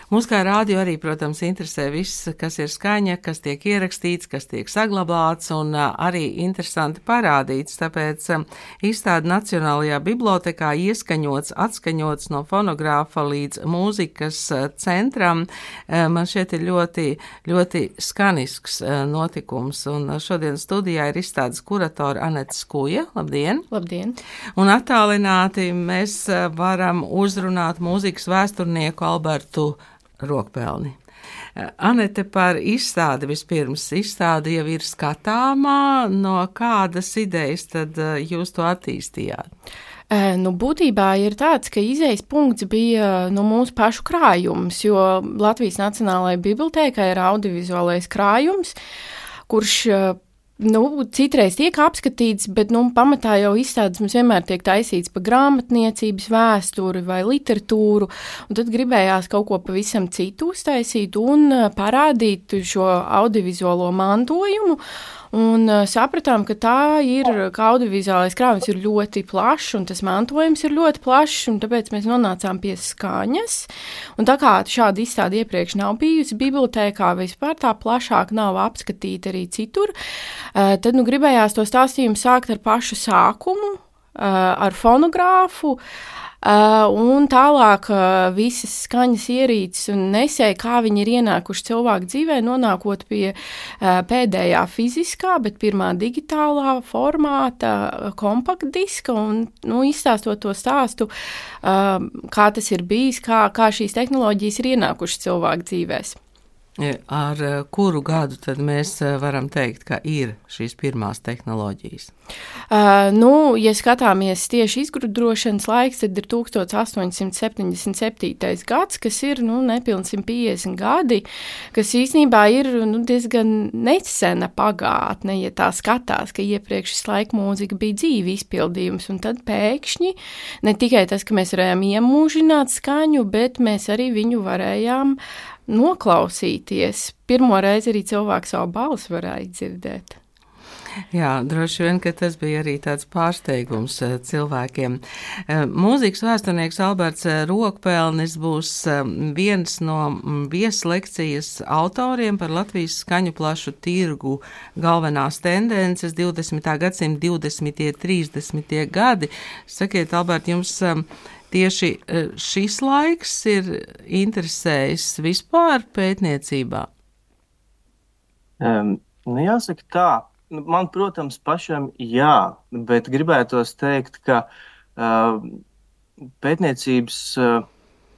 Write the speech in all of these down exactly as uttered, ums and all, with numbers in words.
Mūs kā rādio arī, protams, interesē viss, kas ir skaņa, kas tiek ierakstīts, kas tiek saglabāts un arī interesanti parādīts. Tāpēc izstāde Nacionālajā bibliotekā ieskaņots, atskaņots no fonogrāfa līdz mūzikas centram. Man šeit ir ļoti, ļoti skanisks notikums. Un šodien studijā ir izstādes kuratora Anete Skuja. Labdien! Labdien! Un attālināti mēs varam uzrunāt mūzikas vēsturnieku Albertu Rokpelni. Anete, par izstādi vispirms. Izstāde jau ir skatāmā, no kādas idejas tad jūs to attīstījāt? Nu, būtībā ir tāds, ka izejas punkts bija nu, mūsu pašu krājums, jo Latvijas Nacionālajai bibliotēkai ir audiovizuālais krājums, kurš Nu, citreiz tiek apskatīts, bet nu, pamatā jau izstādes mums vienmēr tiek taisīts pa grāmatniecības vēsturi vai literatūru, un tad gribējās kaut ko pavisam citu uztaisīt un parādīt šo audiovizuālo mantojumu. Un uh, sapratām, ka tā ir, ka audiovizuālais krājums ir ļoti plašs, un tas mantojums ir ļoti plašs, un tāpēc mēs nonācām pie skaņas. Un tā kā šāda izstāde iepriekš nav bijusi bibliotēkā, vispār tā plašāk nav apskatīta arī citur, uh, tad nu gribējās to stāstījumu sākt ar pašu sākumu, uh, ar fonogrāfu, Uh, un tālāk uh, visas skaņas ierīces un nesēji, kā viņi ir ienākuši cilvēku dzīvē, nonākot pie uh, pēdējā fiziskā, bet pirmā digitālā formāta uh, kompaktdiska un nu, izstāstot to stāstu, uh, kā tas ir bijis, kā, kā šīs tehnoloģijas ir ienākušas cilvēku dzīvēs. Ar kuru gadu tad mēs varam teikt, ka ir šīs pirmās tehnoloģijas? Uh, nu, ja skatāmies tieši izgudrošanas laiks, tad ir tukstot astoņsimt septiņdesmit septītais gads, kas ir nu, nepilni simt piecdesmit gadi, kas īstenībā ir nu, diezgan nesena pagātne, ja tā skatās, ka iepriekš šis laika mūzika bija dzīvi izpildījums, un tad pēkšņi ne tikai tas, ka mēs varējām iemūžināt skaņu, bet mēs arī viņu varējām noklausīties. Pirmo reizi arī cilvēks savu balsi varēja dzirdēt. Jā, droši vien, ka tas bija arī tāds pārsteigums cilvēkiem. Mūzikas vēsturnieks Alberts Rokpelnis būs viens no vieslekcijas autoriem par Latvijas skaņu plašu tirgu galvenās tendences divdesmitā gadsimta divdesmitie, trīsdesmitie gadi. Sakiet, Albert, jums tieši šis laiks ir interesējis vispār pētniecībā? Um, nu jāsaka tā, man, protams, pašam jā, bet gribētos teikt, ka uh, pētniecības, uh,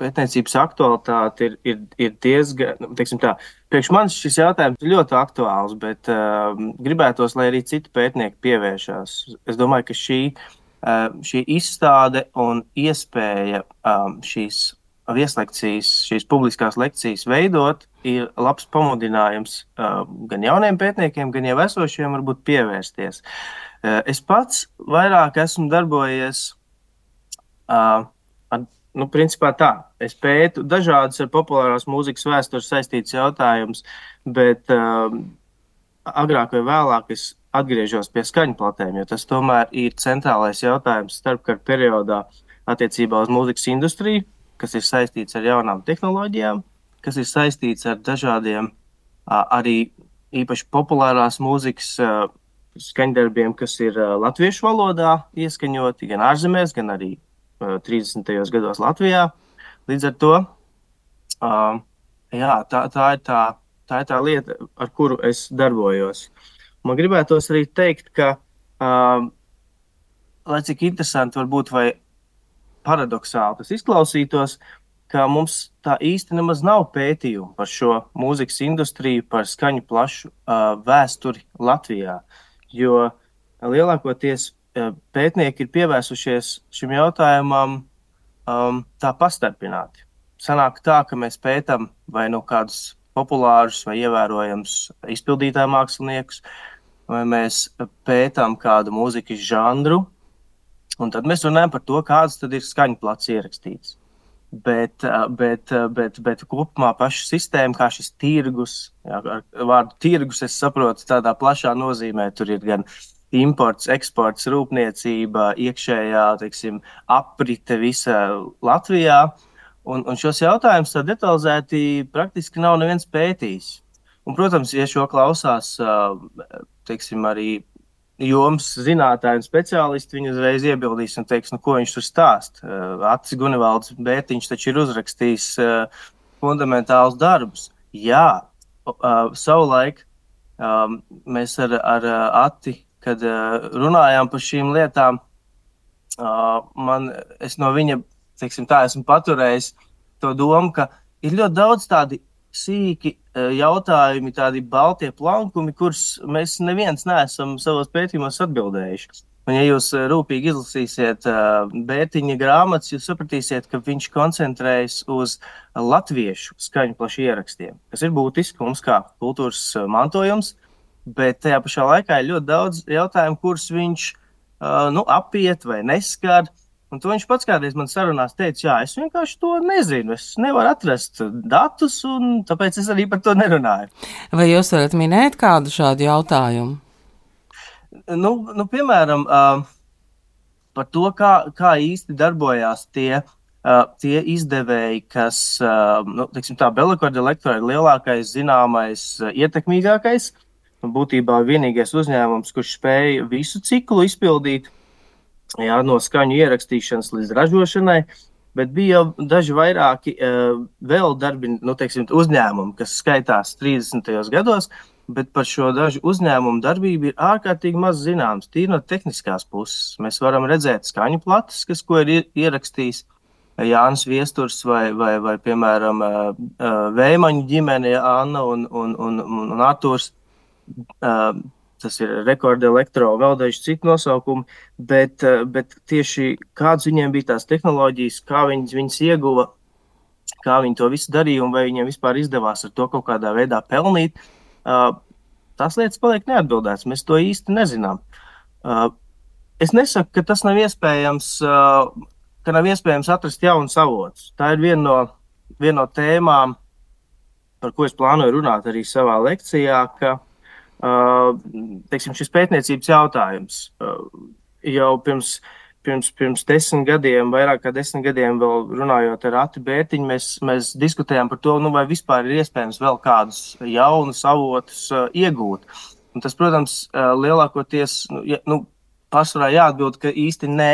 pētniecības aktualitāte ir, ir, ir diezgan, teiksim tā, priekš manis šis jautājums ir ļoti aktuāls, bet uh, gribētos, lai arī citi pētnieki pievēršās. Es domāju, ka šī šī izstāde un iespēja um, šīs vieslekcijas, šīs publiskās lekcijas veidot, ir labs pamudinājums uh, gan jauniem pētniekiem, gan jau esošiem varbūt pievērsties. Uh, es pats vairāk esmu darbojies, uh, ar, nu, principā tā, es pētu dažādas ar populārās mūzikas vēstures saistītas jautājumus, bet uh, agrāk vai vēlāk es atgriežos pie skaņu platēm, jo tas tomēr ir centrālais jautājums starpkara periodā attiecībā uz mūzikas industriju, kas ir saistīts ar jaunām tehnoloģijām, kas ir saistīts ar dažādiem arī īpaši populārās mūzikas skaņdarbiem, kas ir latviešu valodā ieskaņoti gan ārzemēs, gan arī trīsdesmitajos gados Latvijā. Līdz ar to jā, tā, tā, ir tā, tā ir tā lieta, ar kuru es darbojos. Man gribētos arī teikt, ka, uh, lai cik interesanti varbūt vai paradoxāli tas izklausītos, ka mums tā īsti nemaz nav pētījumu par šo mūzikas industriju, par skaņu plašu uh, vēsturi Latvijā, jo lielākoties uh, pētnieki ir pievērsušies šim jautājumam um, tā pastarpināti. Sanāk tā, ka mēs pētam vai no kādus populārus vai ievērojams izpildītāju māksliniekus, vai mēs pētām kādu mūzikas žanru, un tad mēs runājam par to, kāds tad ir skaņu plats ierakstīts. Bet, bet, bet, bet kopumā paša sistēma, kā šis tirgus, jā, ar vārdu tirgus es saprotu tādā plašā nozīmē, tur ir gan imports, eksports, rūpniecība, iekšējā, teiksim, aprite visa Latvijā, Un, un šos jautājumus tā detalizēti praktiski nav neviens pētījis. Un, protams, ja šo klausās, teiksim, arī jomas zinātāji un speciālisti, viņi uzreiz iebildīs un teiks, nu, ko viņš tur stāst. Atis Gunevalds Bērtiņš taču ir uzrakstījis fundamentālus darbus. Jā, savulaik mēs ar, ar Ati, kad runājām par šīm lietām, man, es no viņa, teiksim tā, esmu paturējis to domu, ka ir ļoti daudz tādi sīki jautājumi, tādi baltie plankumi, kurus mēs neviens neesam savos pētījumos atbildējuši. Un ja jūs rūpīgi izlasīsiet Bērtiņa grāmatas, jūs sapratīsiet, ka viņš koncentrējas uz latviešu skaņu plašu ierakstiem, kas ir būtiski mums kā kultūras mantojums, bet tajā pašā laikā ir ļoti daudz jautājumu, kurus viņš nu, apiet vai neskar. Un to viņš pats kādreiz man sarunās teica, jā, es vienkārši to nezinu, es nevaru atrast datus, un tāpēc es arī par to nerunāju. Vai jūs varat minēt kādu šādu jautājumu? Nu, nu piemēram, uh, par to, kā, kā īsti darbojās tie, uh, tie izdevēji, kas, uh, nu, teiksim tā, Belacorda Electro ir lielākais, zināmais, uh, ietekmīgākais, būtībā vienīgais uzņēmums, kurš spēja visu ciklu izpildīt, jā, no skaņu ierakstīšanas līdz ražošanai, bet bija jau daži vairāki uh, vēl darbi, nu, teiksim, uzņēmumi, kas skaitās trīsdesmitajos gados, bet par šo dažu uzņēmumu darbību ir ārkārtīgi maz zināms, tīri no tehniskās puses. Mēs varam redzēt skaņu plates, kas, ko ir ierakstījis Jānis Viesturs vai, vai, vai piemēram, uh, uh, Vēmaņu ģimene, Anna un, un, un, un, un Arturs. Uh, Tas ir Rekorda Elektro, vēl daži citi nosaukumi, bet, bet tieši kādas viņiem bija tās tehnoloģijas, kā viņas, viņas ieguva, kā viņi to visu darīja un vai viņiem vispār izdevās ar to kaut kādā veidā pelnīt, tās lietas paliek neatbildētas. Mēs to īsti nezinām. Es nesaku, ka tas nav iespējams, ka nav iespējams atrast jaunus avotus. Tā ir viena no, viena no tēmām, par ko es plānoju runāt arī savā lekcijā, ka Uh, teiksim, šis pētniecības jautājums uh, jau pirms, pirms, pirms desmit gadiem, vairāk kā desmit gadiem vēl runājot ar Ati Bērtiņu, mēs, mēs diskutējām par to, nu, vai vispār ir iespējams vēl kādus jaunus avotus uh, iegūt. Un tas, protams, uh, lielākoties, nu, ja, nu, pārsvarā jāatbild, ka īsti nē,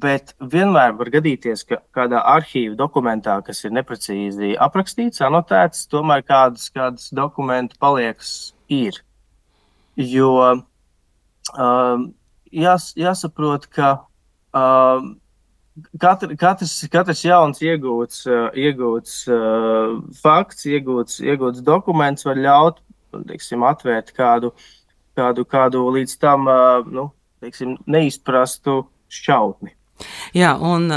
bet vienmēr var gadīties, ka kādā arhīva dokumentā, kas ir neprecīzi aprakstīts, anotēts, tomēr kādas, kādas dokumenti paliekas ir. Jo um, jās, jāsaprot, ka um, katr, katrs, katrs jauns iegūts, uh, iegūts uh, fakts, iegūts, iegūts dokuments var ļaut, teiksim, atvērt kādu, kādu, kādu līdz tam uh, nu, teiksim, neizprastu šķautni. Jā, un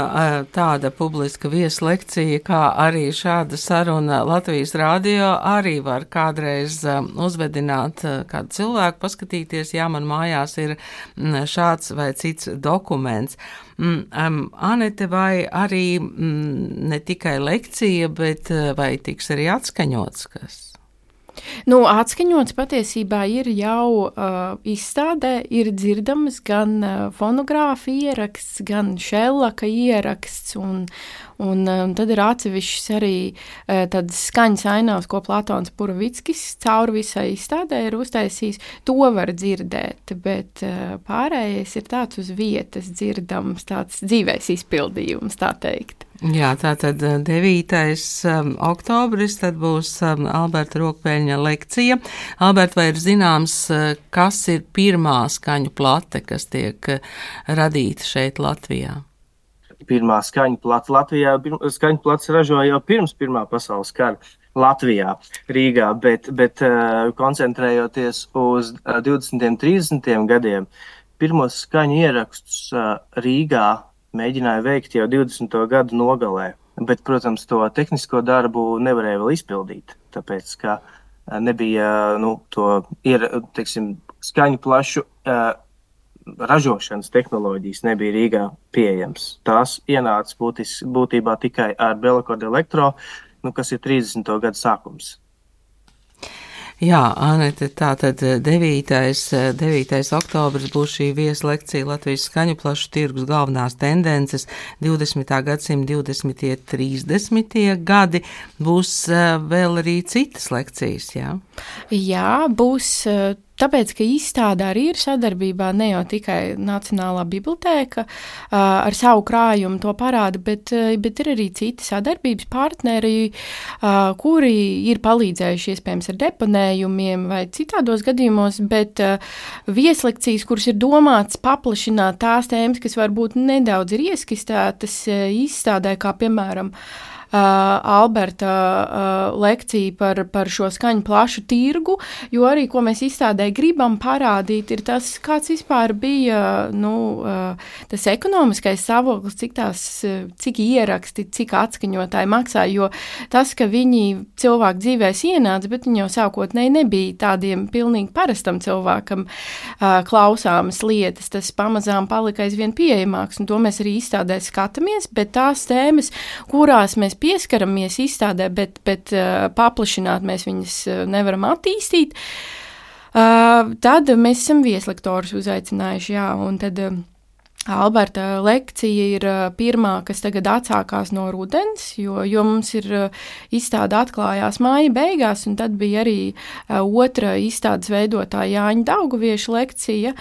tāda publiska vieslekcija, kā arī šāda saruna Latvijas radio arī var kādreiz uzvedināt kādu cilvēku, paskatīties, jā, man mājās ir šāds vai cits dokuments. Anete, vai arī ne tikai lekcija, bet vai tiks arī atskaņots kas? Nu, atskaņots patiesībā ir jau uh, izstādē, ir dzirdamas gan uh, fonogrāfa ieraksts, gan šellaka ieraksts, un, un um, tad ir atsevišķs arī uh, tādas skaņas ainavas, ko Platons Puravickis cauri visai izstādē ir uztaisījis. To var dzirdēt, bet uh, pārējais ir tāds uz vietas dzirdams, tāds dzīvais izpildījums, tā teikt. Jā, tātad devītais Um, oktobris, tad būs um, Alberta Rokpeļņa lekcija. Alberta, vai ir zināms, kas ir pirmā skaņu plate, kas tiek radīta šeit Latvijā? Pirmā skaņu plate Latvijā, skaņu plates ražoja jau pirms Pirmā pasaules kara Latvijā, Rīgā, bet, bet uh, koncentrējoties uz uh, divdesmitiem, trīsdesmitiem gadiem, pirmos skaņu ierakstus uh, Rīgā mēģināja veikt jau divdesmito gadu nogalē, bet, protams, to tehnisko darbu nevarēja vēl izpildīt, tāpēc, ka nebija, nu, to ir, teiksim, skaņu plašu uh, ražošanas tehnoloģijas nebija Rīgā pieejams. Tās ienāca būtis, būtībā tikai ar Belacorda Electro, nu, kas ir trīsdesmito gadu sākums. Jā, Anete, tātad devītais, devītais oktobris būs šī vieslekcija Latvijas skaņu plašu tirgus galvenās tendences divdesmitā gadsimta divdesmitie, trīsdesmitie gadi. Būs vēl arī citas lekcijas, jā? Jā, būs. Tāpēc, ka izstāde arī ir sadarbībā ne jau tikai Nacionālā bibliotēka ar savu krājumu to parāda, bet, bet ir arī citi sadarbības partneri, kuri ir palīdzējuši iespējams ar deponējumiem vai citādos gadījumos, bet vieslekcijas, kuras ir domāts paplašināt tās tēmas, kas varbūt nedaudz ir ieskistētas izstādē, kā piemēram Uh, Alberta uh, lekcija par, par šo skaņu plašu tirgu, jo arī, ko mēs izstādē gribam parādīt, ir tas, kāds vispār bija, nu, uh, tas ekonomiskais stāvoklis, cik tās, cik ieraksti, cik atskaņotāji maksāja, jo tas, ka viņi cilvēku dzīvēs ienāca, bet viņi jau sākotnēji nebija tādiem pilnīgi parastam cilvēkam uh, klausāmas lietas, tas pamazām palika aizvien pieejamāks, un to mēs arī izstādē skatāmies, bet tās tēmas, kurās mēs pieskaramies izstādē, bet, bet uh, paplašināt mēs viņas uh, nevaram attīstīt, uh, tad mēs esam vieslektorus uzaicinājuši, jā, un tad uh, Alberta lekcija ir uh, pirmā, kas tagad atsākās no rudens, jo, jo mums ir uh, izstāde atklājās māja beigās, un tad bija arī uh, otra izstādes veidotāja Jāņa Daugavieša lekcija,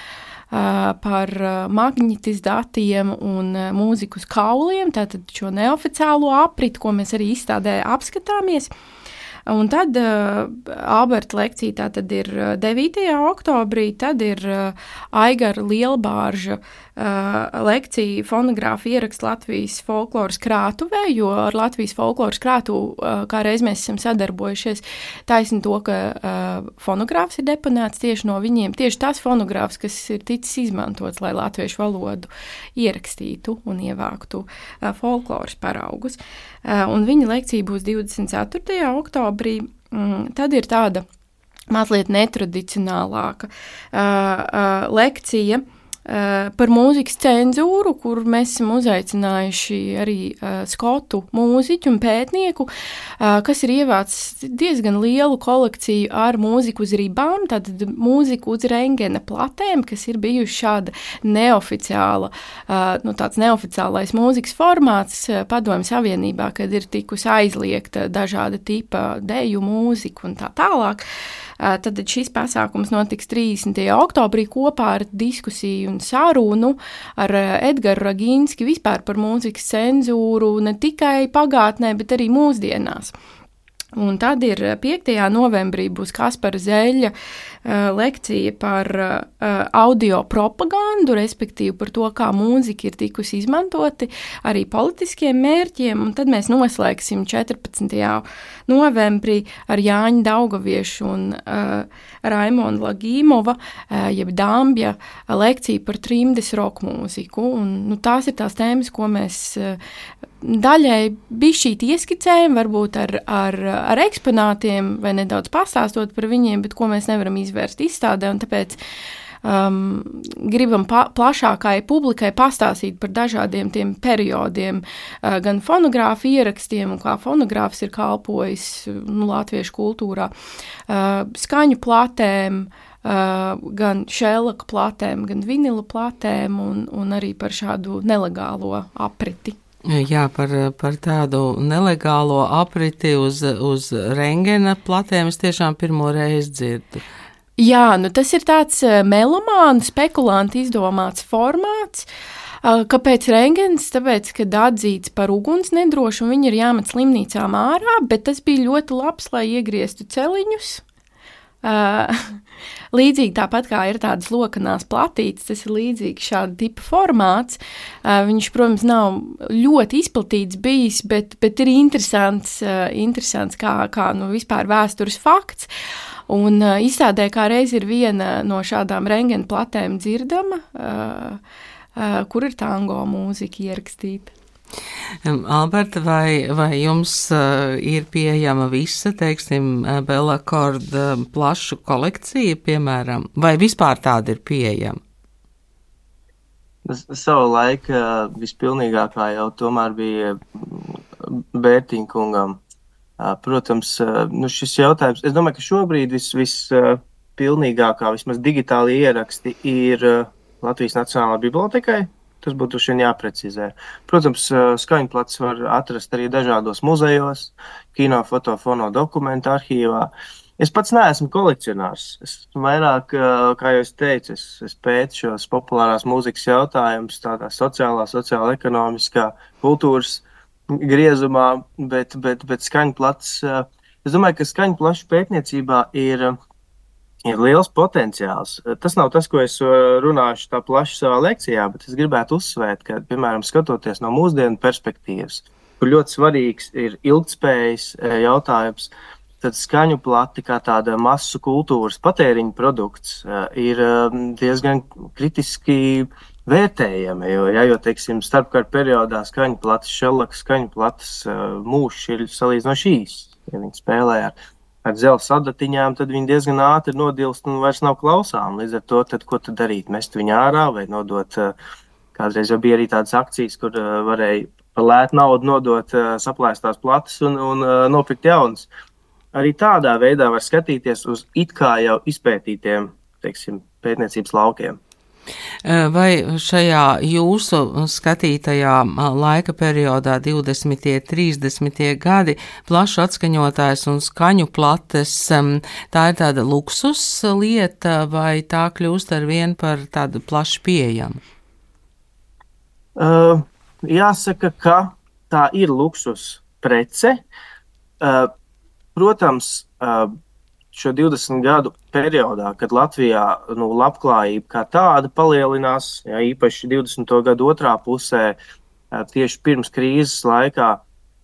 par magnetizdatiem un mūziku uz kauliem, tātad šo neoficiālo apriti, ko mēs arī izstādē apskatāmies. Un tad uh, Alberta lekcija tātad ir devītajā oktobrī, tad ir uh, Aigara Lielbārža uh, lekcija fonogrāfa ieraksts Latvijas folkloras krātuvē, jo ar Latvijas folkloras krātuvu uh, kā reiz mēs esam sadarbojušies taisni to, ka uh, fonogrāfs ir deponēts tieši no viņiem, tieši tas fonogrāfs, kas ir ticis izmantots, lai latviešu valodu ierakstītu un ievāktu uh, folkloras paraugus. Uh, un viņa lekcija būs divdesmit ceturtajā oktobrī. Mm, tad ir tāda mazliet netradicionālāka uh, uh, lekcija uh, par mūzikas cenzūru, kur mēs esam uzaicinājuši arī uh, skotu mūziķu un pētnieku, uh, kas ir ievācis diezgan lielu kolekciju ar mūziku uz ribām, tātad mūziku uz rengena platēm, kas ir bijuši šāda neoficiāla, uh, nu tāds neoficiālais mūzikas formāts uh, Padomju Savienībā, kad ir tikusi aizliegta dažāda tipa deju mūzika un tā tālāk. Uh, tad šis pasākums notiks trīsdesmitajā oktobrī kopā ar diskusiju un sarunu ar uh, Edgaru Ragīnski vispār par mūzikas cenzūru ne tikai pagātnē, bet arī mūsdienās. Un tad ir piektajā novembrī būs Kaspara Zeļa uh, lekcija par uh, audio propagandu, respektīvi par to, kā mūzika ir tikusi izmantoti arī politiskiem mērķiem, un tad mēs noslēgsim četrpadsmitajā novembrī ar Jāņa Daugaviešu un uh, Raimonda Lagīmova, uh, jeb Dambja lekciju par trimdes roka mūziku, un nu, tās ir tās tēmas, ko mēs uh, daļai bišķīt ieskicējam, varbūt ar, ar, ar eksponātiem vai nedaudz pastāstot par viņiem, bet ko mēs nevaram izvērst izstādē, un tāpēc um, gribam pa, plašākai publikai pastāstīt par dažādiem tiem periodiem, uh, gan fonogrāfu ierakstiem, un kā fonogrāfs ir kalpojis nu, latviešu kultūrā, uh, skaņu platēm, Uh, gan šēlaka platēm, gan vinila platēm, un, un arī par šādu nelegālo apriti. Jā, par, par tādu nelegālo apriti uz, uz rengena platēm es tiešām pirmo reizi dzirdu. Jā, nu tas ir tāds melomānu, spekulantu izdomāts formāts. Kāpēc rengens? Tāpēc, kad atzīts par uguns nedrošu un viņi ir jāmet slimnīcām ārā, bet tas bija ļoti labs, lai iegrieztu celiņus. Uh, līdzīgi tāpat kā ir tādas lokanās platītes, tas ir līdzīgi šāda tipa formāts. Uh, viņš, protams, nav ļoti izplatīts bijis, bet, bet ir interesants, uh, interesants kā, kā nu, vispār vēstures fakts. Un uh, izstādē kā reiz ir viena no šādām rengena platēm dzirdama, uh, uh, kur ir tango mūzika ierakstīta. Alberta, vai, vai jums uh, ir pieejama visa, teiksim, Bella Cord uh, plašu kolekcija, piemēram, vai vispār tāda ir pieejama? Savu laiku vispilnīgākā jau tomēr bija Bērtiņkungam Protams, nu šis jautājums, es domāju, ka šobrīd vis, vispilnīgākā, vismaz digitāli ieraksti ir Latvijas Nacionālajā bibliotekai. Tas būtu šodien jāprecizē. Protams, skaņplats var atrast arī dažādos muzejos, kino, foto, fono, dokumentu arhīvā. Es pats neesmu kolekcionārs. Es vairāk, kā jau es teicu, es, es pētu šos populārās mūzikas jautājumus tādā sociālā, sociāla, ekonomiskā, kultūras griezumā, bet, bet, bet skaņplats, es domāju, ka skaņplašu pētniecībā ir, ir liels potenciāls. Tas nav tas, ko es runāšu tā plaši savā lekcijā, bet es gribētu uzsvērt, ka, piemēram, skatoties no mūsdienu perspektīvas, kur ļoti svarīgs ir ilgtspējas jautājums, tad skaņu plati kā tāda masu kultūras patēriņa produkts ir diezgan kritiski vērtējami, jo, ja, jo teiksim, starpkara periodā skaņu platas, šellaka skaņu platas mūžs ir salīdzinoši īss. Ja viņi spēlē ar, ar dzelzs adatiņām, tad viņi diezgan ātri nodilst un vairs nav klausām. Līdz ar to, tad, ko tad darīt? Mest viņu ārā vai nodot, kādreiz jau bija arī tādas akcijas, kur varēja par lētu naudu nodot saplēstās platas un, un nopirkt jaunas. Arī tādā veidā var skatīties uz it kā jau izpētītiem, teiksim, pētniecības laukiem. Vai šajā jūsu skatītajā laika periodā divdesmitie, trīsdesmitie gadi plašu atskaņotājs un skaņu plates, tā ir tāda luksus lieta vai tā kļūst ar vien par tādu plaši pieejamu? Uh, jāsaka, ka tā ir luksus prece. Uh, protams, uh, šo divdesmit gadu periodā, kad Latvijā nu, labklājība kā tāda palielinās, ja, īpaši divdesmito gadu otrā pusē, tieši pirms krīzes laikā,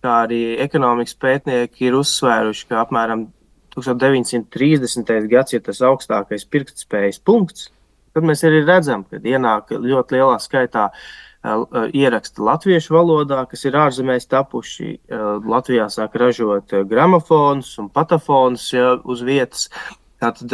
kā arī ekonomikas pētnieki ir uzsvēruši, ka apmēram deviņdesmit trīsdesmitais gads ir tas augstākais pirktspējas punkts, tad mēs arī redzam, ka ienāk ļoti lielā skaitā ieraksti latviešu valodā, kas ir ārzemēs tapuši. Latvijā sāk ražot gramofonus un patafonus, ja, uz vietas. Tātad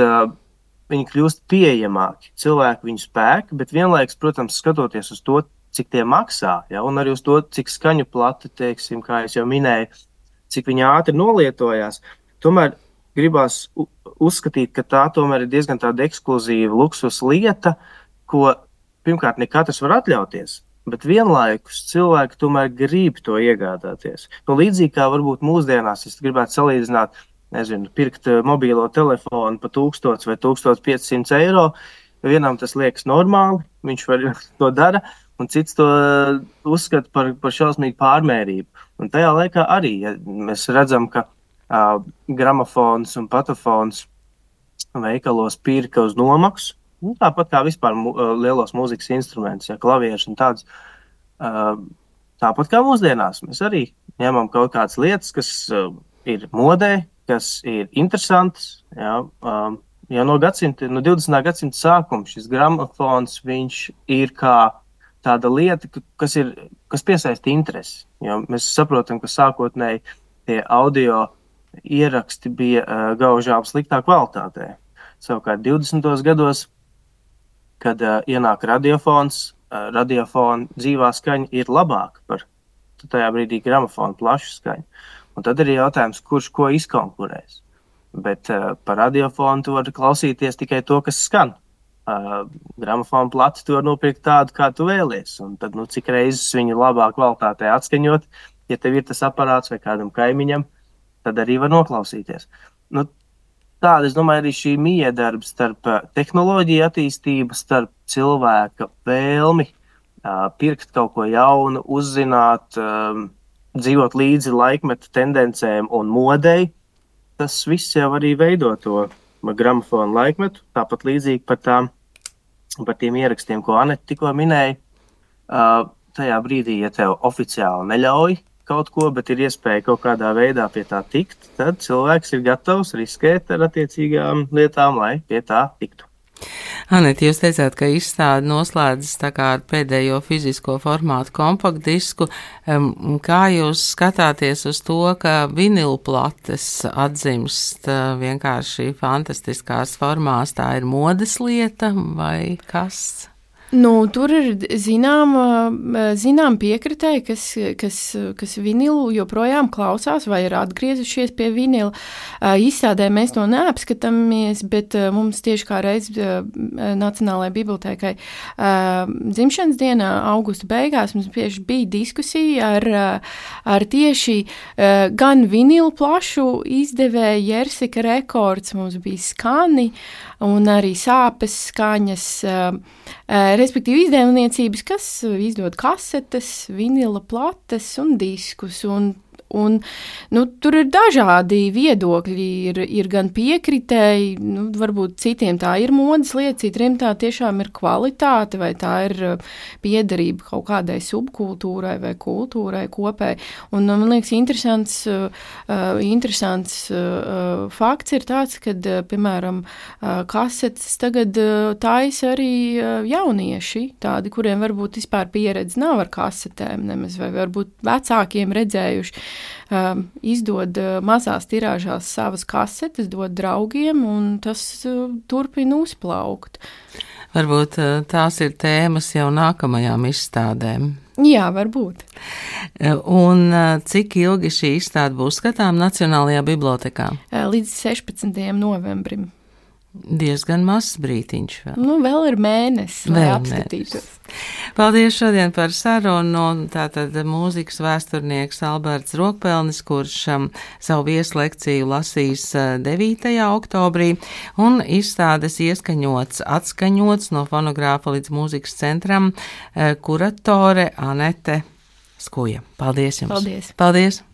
viņi kļūst pieejamāki. Cilvēki viņu spēk, bet vienlaikus, protams, skatoties uz to, cik tie maksā, ja, un arī uz to, cik skaņu plati, teiksim, kā es jau minēju, cik viņi ātri nolietojās, tomēr gribās uzskatīt, ka tā tomēr ir diezgan tāda ekskluzīva luksus lieta, ko pirmkārt ne katrs var atļauties. Bet vienlaikus cilvēki tomēr grib to iegādāties. Nu, līdzīgi kā varbūt mūsdienās, es gribētu salīdzināt, nezinu, pirkt mobīlo telefonu pa tūkstots vai tūkstoš piecsimt eiro. Vienam tas liekas normāli, viņš var to dara, un cits to uzskata par, par šausmīgu pārmērību. Un tajā laikā arī, ja mēs redzam, ka uh, gramofons un patafons veikalos pirka uz nomaksu, nu, tāpat kā vispār mu, lielos mūzikas instrumentus, ja klavieši un tāds. Uh, tāpat kā mūsdienās, mēs arī ņemam kaut kādas lietas, kas uh, ir modē, kas ir interesantas. Ja, uh, jau no gadsimta, no divdesmitā gadsimta sākuma šis gramofons, viņš ir kā tāda lieta, kas, ir, kas piesaista interesi. Jo mēs saprotam, ka sākotnēji tie audio ieraksti bija uh, gaužām sliktā kvalitātē. Savukārt divdesmitos gados, kad uh, ienāk radiofons, uh, radiofona dzīvā skaņa ir labāka par tajā brīdī gramofona plašu skaņu. Un tad ir jautājums, kurš ko izkonkurēs. Bet uh, par radiofonu tu vari klausīties tikai to, kas skan. Uh, gramofona plati tu vari nopirkt tādu, kā tu vēlies. Un tad, nu, cik reizes viņu labā kvalitātē atskaņot, ja tev ir tas aparāts vai kādam kaimiņam, tad arī var noklausīties. Nu, Tāda, es domāju, arī šī miedarba starp tehnoloģiju attīstību, starp cilvēka vēlmi uh, pirkt kaut ko jaunu, uzzināt, um, dzīvot līdzi laikmeta tendencēm un modei. Tas viss jau arī veido to gramofonu laikmetu, tāpat līdzīgi par, tām, par tiem ierakstiem, ko Anete tikko minēja. Uh, tajā brīdī, ja tev oficiāli neļauj kaut ko, bet ir iespēja kaut kādā veidā pie tā tikt, tad cilvēks ir gatavs riskēt ar attiecīgām lietām, lai pie tā tiktu. Anete, jūs teicāt, ka izstāde noslēdzas tā kā ar pēdējo fizisko formātu kompaktdisku. Kā jūs skatāties uz to, ka vinilplates atzimst vienkārši fantastiskās formās, tā ir modes lieta vai kas? Nu, tur ir zinām, zinām piekritēji, kas, kas, kas vinilu joprojām klausās vai ir atgriezušies pie vinila. Izstādē mēs to neapskatāmies, bet mums tieši kā reiz Nacionālajai bibliotēkai dzimšanas dienā, augusta beigās, mums tieši bija diskusija ar, ar tieši gan vinilu plašu izdevēju Jersika Rekords, mums bija skani un arī sāpes skaņas, respektīvi izdevniecības, kas izdod kasetes, vinila plates un diskus. Un, un, nu, tur ir dažādi viedokļi, ir, ir gan piekritēji, nu, varbūt citiem tā ir modes lieta, citiem tā tiešām ir kvalitāte, vai tā ir piederība kaut kādai subkultūrai vai kultūrai kopēji. Un man liekas, interesants, uh, interesants uh, fakts ir tāds, kad, uh, piemēram, uh, kasetes tagad uh, taisa arī uh, jaunieši, tādi, kuriem varbūt vispār pieredze nav ar kasetēm nemaz, vai varbūt vecākiem redzējuši. Uh, izdod uh, mazās tirāžās savas kasetes, dod draugiem, un tas uh, turpina uzplaukt. Varbūt uh, tās ir tēmas jau nākamajām izstādēm. Jā, varbūt. Un uh, cik ilgi šī izstāde būs skatām Nacionālajā bibliotekā? Uh, līdz sešpadsmitajam novembrim. Diezgan mazs brītiņš vēl. Nu, vēl ir mēnesis, lai apskatītos. Paldies šodien par sarunu. Tātad mūzikas vēsturnieks Alberts Rokpelnis, kurš um, savu vieslekciju lasīs uh, devītajā oktobrī, un izstādes ieskaņots, atskaņots no fonogrāfa līdz mūzikas centram uh, kuratore Anete Skuja. Paldies jums! Paldies! Paldies.